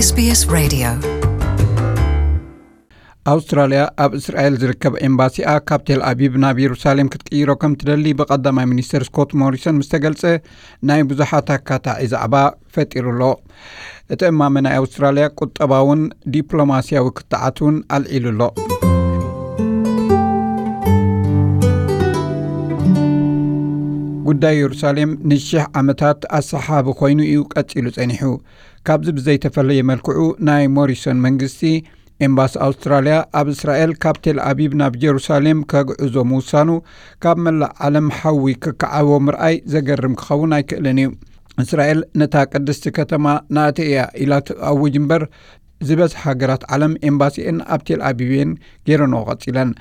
SBS Radio. ኣውስትራልያ ኣብ እስራኤል ዝርከብ ኤምባሲኣ ካብ ቴል ኣቪቭ ናብ የሩሳሌም ክትቅይሮ ከም ትደሊ ብቐዳማይ ሚኒስተር ስኮት ሞሪሰን ምስ ተገልጸ፣ ናይ ብዙሓት ኣካታዒ ዛዕባ ፈጢሩ ኣሎ። እቲ እማመ ናይ ኣውስትራልያ ቁጠባውን ዲፕሎማስያዊ ክትዓት እውን ኣልዒሉ ኣሎ። ጉዳይ የሩሳሌም ንሽሕ ዓመታት ኣሰሓቢ ኮይኑ እዩ ቀጺሉ ጸኒሑ። ካብዚ ብዘይተፈለየ መልክዑ፣ ናይ ሞሪሰን መንግስቲ ኤምባሲ ኣውስትራልያ ኣብ እስራኤል ካብ ቴል ኣቪቭ ናብ ጀሩሳሌም ከግዕዞ ምውሳኑ፣ ካብ መላእ ዓለም ሓዊ ክከዓቦ ምርኣይ ዘገርም ክኸውን ኣይክእልን እዩ። እስራኤል ነታ ቅድስቲ ከተማ ናተይ እያ ኢላ ትኣውጅ እምበር፣ ዝበዝሐ ሃገራት ዓለም ኤምባሲኤን ኣብ ቴል ኣቪቭ እየን ገይረንኦ ቀጺለን።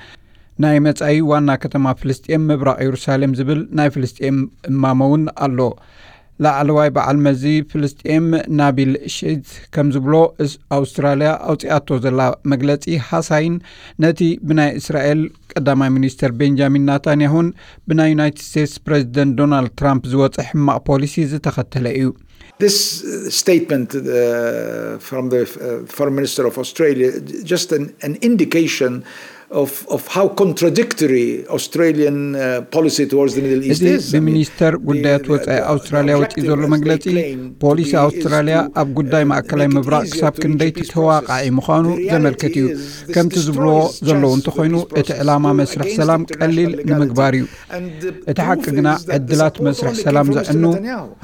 ናይ መጻኢ ዋና ከተማ ፍልስጤም ምብራቕ የሩሳሌም ዝብል ናይ ፍልስጤም እማመ እውን ኣሎ። ላዕለዋይ በዓል መዚ ፍልስጤም ናቢል ሼት ከም ዝብሎ፣ እስ-፣ ኣውስትራልያ ኣውጺኣቶ ዘላ መግለጺ ሃሳይን ነቲ ብናይ እስራኤል ቀዳማይ ሚኒስተር ቤንጃሚን ናታንያሁን ብናይ ዩናይትድ ስቴትስ ፕሬዚደንት ዶናልድ ትራምፕ ዝወጸ ሕማቕ ፖሊሲ ዝተኸተለ እዩ። This uh, statement uh, from the uh, Foreign Minister of Australia, just an, an indication of, of how contradictory Australian uh, policy towards the Middle East እዚ is. I mean, ብሚኒስተር ጉዳያት the- ወጻኢ the- the ኣውስትራልያ ወጺኡ objective ዘሎ as they መግለጺ claim to ፖሊሲ be is ኣውስትራልያ to, ኣብ ጉዳይ uh, ማእከላይ make it ምብራቕ easier ክሳብ to ክንደይ reach a peace ተተዋቃዒ process. ምዃኑ The reality ዘመልክት እዩ። is this ከምቲ ዝብልዎ destroys ዘለዉ chance እንተኾይኑ፣ for peace እቲ ዕላማ through መስርሕ ሰላም ቀሊል ንምግባር እዩ። እቲ ሓቂ ግና ዕድላት መስርሕ ሰላም ዘዕኑ፣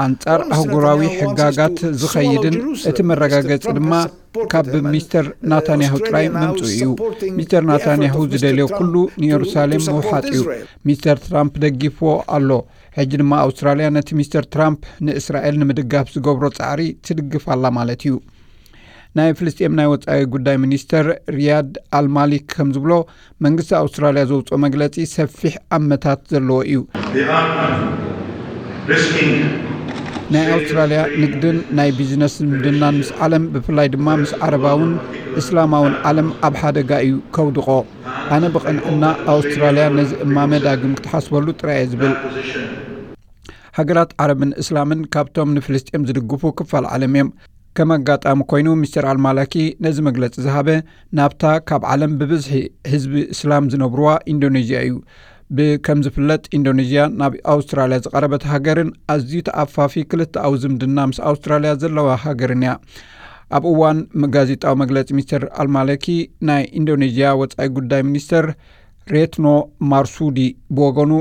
ኣንጻር ኣህጉራዊ ሕጋጋት ዝኸይድን እቲ መረጋገጺ ድማ ካብ ሚስተር ናታንያሁ ጥራይ ምምጽኡ እዩ። ሚስተር ናታንያሁ ዝደልዮ ኩሉ ንየሩሳሌም ምውሓጥ እዩ። ሚስተር ትራምፕ ደጊፍዎ ኣሎ። ሕጂ ድማ ኣውስትራልያ ነቲ ሚስተር ትራምፕ ንእስራኤል ንምድጋፍ ዝገብሮ ጻዕሪ ትድግፍ ኣላ ማለት እዩ። ናይ ፍልስጤም ናይ ወጻኢ ጉዳይ ሚኒስተር ሪያድ ኣልማሊክ ከም ዝብሎ፣ መንግስቲ ኣውስትራልያ ዘውፅኦ መግለፂ ሰፊሕ ኣመታት ዘለዎ እዩ። ናይ ኣውስትራልያ ንግድን ናይ ቢዝነስ ዝምድናን ምስ ዓለም፣ ብፍላይ ድማ ምስ ዓረባውን እስላማውን ዓለም ኣብ ሓደጋ እዩ ከውድቖ። ኣነ ብቕንዕና ኣውስትራልያ ነዚ እማመ ዳግም ክትሓስበሉ ጥራይ እየ ዝብል። ሃገራት ዓረብን እስላምን ካብቶም ንፍልስጤም ዝድግፉ ክፋል ዓለም እዮም። ከም ኣጋጣሚ ኮይኑ፣ ሚስተር ኣልማላኪ ነዚ መግለጺ ዝሃበ ናብታ ካብ ዓለም ብብዝሒ ህዝቢ እስላም ዝነብርዋ ኢንዶኔዥያ እዩ። ብከም ዝፍለጥ፣ ኢንዶኔዥያ ናብ ኣውስትራልያ ዝቐረበት ሃገርን ኣዝዩ ተኣፋፊ ክልተኣዊ ዝምድና ምስ ኣውስትራልያ ዘለዋ ሃገርን እያ። ኣብ እዋን ጋዜጣዊ መግለጺ ሚስተር ኣልማለኪ፣ ናይ ኢንዶኔዥያ ወጻኢ ጉዳይ ሚኒስተር ሬትኖ ማርሱዲ ብወገኑ፣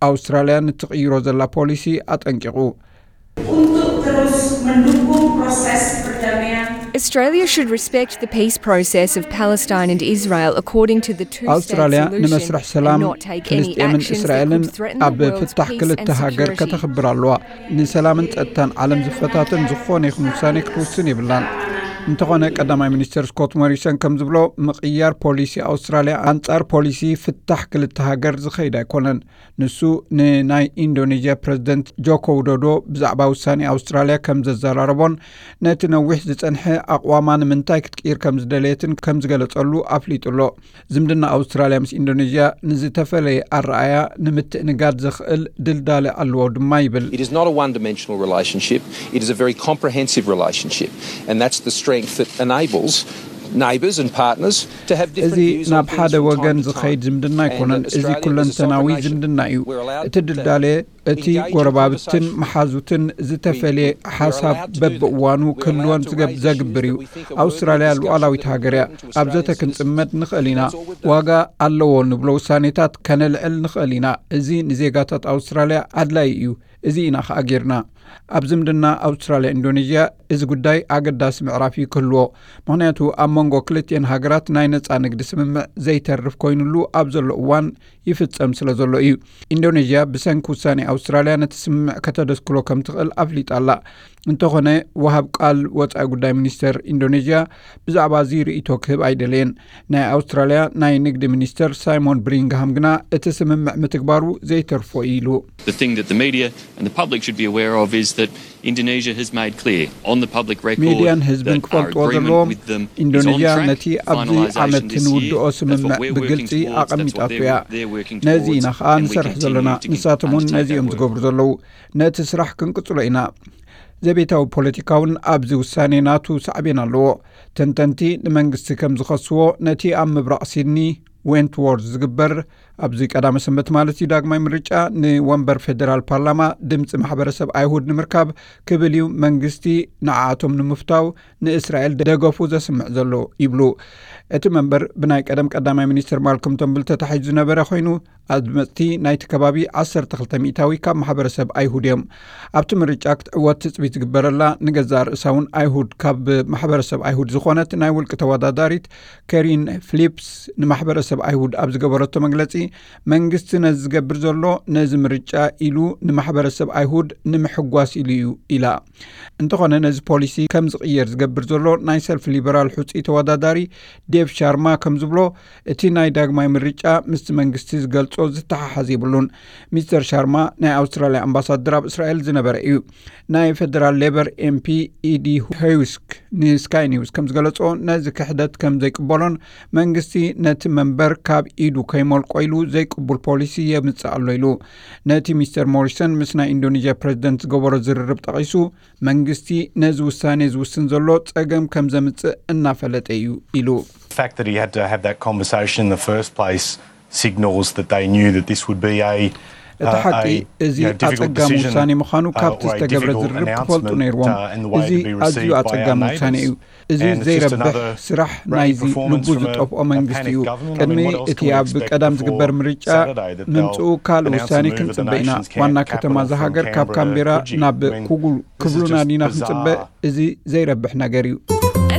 ኣውስትራልያ ንትቕይሮ ዘላ ፖሊሲ ኣጠንቂቑ። Untuk terus mendukung proses perdamaian. Australia should respect the peace process of Palestine and Israel according to the two-state ኣውስትራልያ solution ንመስርሕ and ሰላም not take any ፍልስጤምን actions that እስራኤልን could threaten the ኣብ world's ፍታሕ peace ክልተ and ሃገር security. ከተኽብር ኣለዋ። ንሰላምን ጸጥታን ዓለም ዝፈታተን ዝኾነ ይኹን ውሳኔ ክትውስን የብላን። እንተኾነ፣ ቀዳማይ ሚኒስተር ስኮት ሞሪሰን ከም ዝብሎ፣ ምቕያር ፖሊሲ ኣውስትራልያ ኣንጻር ፖሊሲ ፍታሕ ክልተ ሃገር ዝኸይድ ኣይኮነን። ንሱ ንናይ ኢንዶኔዥያ ፕረዚደንት ጆኮ ዊዶዶ ብዛዕባ ውሳኔ ኣውስትራልያ ከም ዘዘራረቦን ነቲ ነዊሕ ዝጸንሐ ኣቕዋማ ንምንታይ ክትቅይር ከም ዝደለየትን ከም ዝገለጸሉ ኣፍሊጡ ኣሎ። ዝምድና ኣውስትራልያ ምስ ኢንዶኔዥያ ንዝተፈለየ ኣረኣያ ንምትእንጋድ ዘኽእል ድልዳለ ኣለዎ ድማ ይብል። It is not a one-dimensional relationship. It is a very comprehensive relationship, and that's the strength that enables neighbours and partners to have different እዚ views on ናብ things ሓደ from ወገን time to ዝኸይድ time. ዝምድና And ኣይኮነን። እዚ Australia ኩለንተናዊ is a sovereign nation. ዝምድና እዩ። We're allowed እቲ to ድልዳለ እቲ engage in ጎረባብትን conversation. መሓዙትን ዝተፈለየ ሓሳብ በብእዋኑ ክህልወን ዝገብ- ዘግብር እዩ። ኣውስትራልያ ሉዓላዊት ሃገር እያ። ኣብ ዘተ ክንጽመድ ንኽእል ኢና። ዋጋ ኣለዎ ንብሎ ውሳኔታት ከነልዕል ንኽእል ኢና። እዚ ንዜጋታት ኣውስትራልያ ኣድላይ እዩ። እዚ ኢና ኸኣ ጌርና። ኣብ ዝምድና ኣውስትራልያ ኢንዶኔዥያ እዚ ጉዳይ ኣገዳሲ ምዕራፍ እዩ ክህልዎ። ምኽንያቱ ኣብ መንጎ ክልቲኤን ሃገራት ናይ ነጻ ንግዲ ስምምዕ ዘይተርፍ ኮይኑሉ ኣብ ዘሎ እዋን ይፍጸም ስለ ዘሎ እዩ። ኢንዶኔዥያ ብሰንኪ ውሳኔ ኣውስትራልያ ነቲ ስምምዕ ከተደስክሎ ከም ትኽእል ኣፍሊጣ ኣላ። እንተኾነ፣ ወሃብ ቃል ወጻኢ ጉዳይ ሚኒስተር ኢንዶኔዥያ ብዛዕባ እዚ ርእይቶ ክህብ ኣይደለየን። ናይ ኣውስትራልያ ናይ ንግዲ ሚኒስተር ሳይሞን ብሪንግሃም ግና እቲ ስምምዕ ምትግባሩ ዘይተርፎ እዩ ኢሉ። The thing that the media and the public should be aware of is that Indonesia has made clear on the public record ሚድያን ህዝብን that our ክፈልጥዎ agreement ዘለዎም፣ with them is on ኢንዶኔዥያ track. ነቲ ኣብዚ Finalisation ዓመት this year. ንውድኦ That's what ስምምዕ we're ብግልጺ working towards. That's what ኣቐሚጣቶ they're, እያ። they're working ነዚ towards. ኢና ኸኣ And we ንሰርሕ continue ዘለና። to ንሳቶም እውን undertake ነዚ እዮም that work. ዝገብሩ ዘለዉ። ነቲ ስራሕ ክንቅጽሎ ኢና። ዘቤታዊ ፖለቲካ እውን ኣብዚ ውሳኔ ናቱ ሳዕቤን ኣለዎ። ተንተንቲ ንመንግስቲ ከም ዝኸስዎ፣ ነቲ ኣብ ምብራቕ ሲድኒ ዌንትዎርዝ ዝግበር፣ ኣብዚ ቀዳመ ሰንበት ማለት እዩ፣ ዳግማይ ምርጫ ንወንበር ፌደራል ፓርላማ ድምፂ ማሕበረሰብ ኣይሁድ ንምርካብ ክብል እዩ መንግስቲ ንዓኣቶም ንምፍታው ንእስራኤል ደገፉ ዘስምዕ ዘሎ ይብሉ። እቲ መንበር ብናይ ቀደም ቀዳማይ ሚኒስትር ማልኮም ተንብል ተታሒዙ ዝነበረ ኮይኑ፣ ኣድመፅቲ ናይቲ ከባቢ ዓሰርተ ክልተ ሚእታዊ ካብ ማሕበረሰብ ኣይሁድ እዮም። ኣብቲ ምርጫ ክትዕወት ትፅቢት ዝግበረላ፣ ንገዛእ ርእሳ እውን ኣይሁድ ካብ ማሕበረሰብ ኣይሁድ ዝኾነት ናይ ውልቂ ተወዳዳሪት ከሪን ፍሊፕስ ንማሕበረሰብ ኣይሁድ ኣብ ዝገበረቶ መግለፂ፣ መንግስቲ ነዚ ዝገብር ዘሎ ነዚ ምርጫ ኢሉ ንማሕበረሰብ ኣይሁድ ንምሕጓስ ኢሉ እዩ ኢላ። እንተኾነ ነዚ ፖሊሲ ከም ዝቕየር ዝገብር ዘሎ ናይ ሰልፊ ሊበራል ሕፁይ ተወዳዳሪ ዴቭ ሻርማ ከም ዝብሎ፣ እቲ ናይ ዳግማይ ምርጫ ምስቲ መንግስቲ ዝገልጾ ዝተሓሓዝ የብሉን። ሚስተር ሻርማ ናይ ኣውስትራልያ ኣምባሳደር ኣብ እስራኤል ዝነበረ እዩ። ናይ ፌደራል ሌበር ኤምፒ ኢዲ ሄውስክ ንስካይ ኒውስ ከም ዝገለጾ፣ ነዚ ክሕደት ከም ዘይቅበሎን መንግስቲ ነቲ መንበር ካብ ኢዱ ከይመልቆ ኢሉ ዘይቅቡል ፖሊሲ የምጽእ ኣሎ ኢሉ። ነቲ ሚስተር ሞሪሰን ምስ ናይ ኢንዶኔዥያ ፕሬዚደንት ዝገበሮ ዝርርብ ጠቒሱ፣ መንግስቲ ነዚ ውሳኔ ዝውስን ዘሎ ጸገም ከም ዘምጽእ እናፈለጠ እዩ ኢሉ። The fact that he had to have that conversation in the first place signals that they knew that this would be a እቲ ሓቂ እዚ ኣጸጋሚ ውሳኔ ምዃኑ ካብቲ ዝተገብረ ዝርርብ ክፈልጡ ነይርዎም። እዚ ኣዝዩ ኣጸጋሚ ውሳኔ እዩ። እዚ ዘይረብሕ ስራሕ ናይዚ ልቡ ዝጠፍኦ መንግስቲ እዩ። ቅድሚ እቲ ኣብ ቀዳም ዝግበር ምርጫ ምምፅኡ ካልእ ውሳኔ ክንፅበ ኢና። ዋና ከተማ እዛ ሃገር ካብ ካምቤራ ናብ ኩጉል ክብሉና ዲና ክንፅበ? እዚ ዘይረብሕ ነገር እዩ።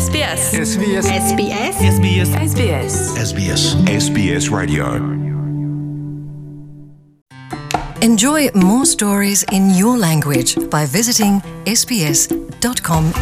SBS SBS SBS Radio. Enjoy more stories in your language by visiting sbs.com.au.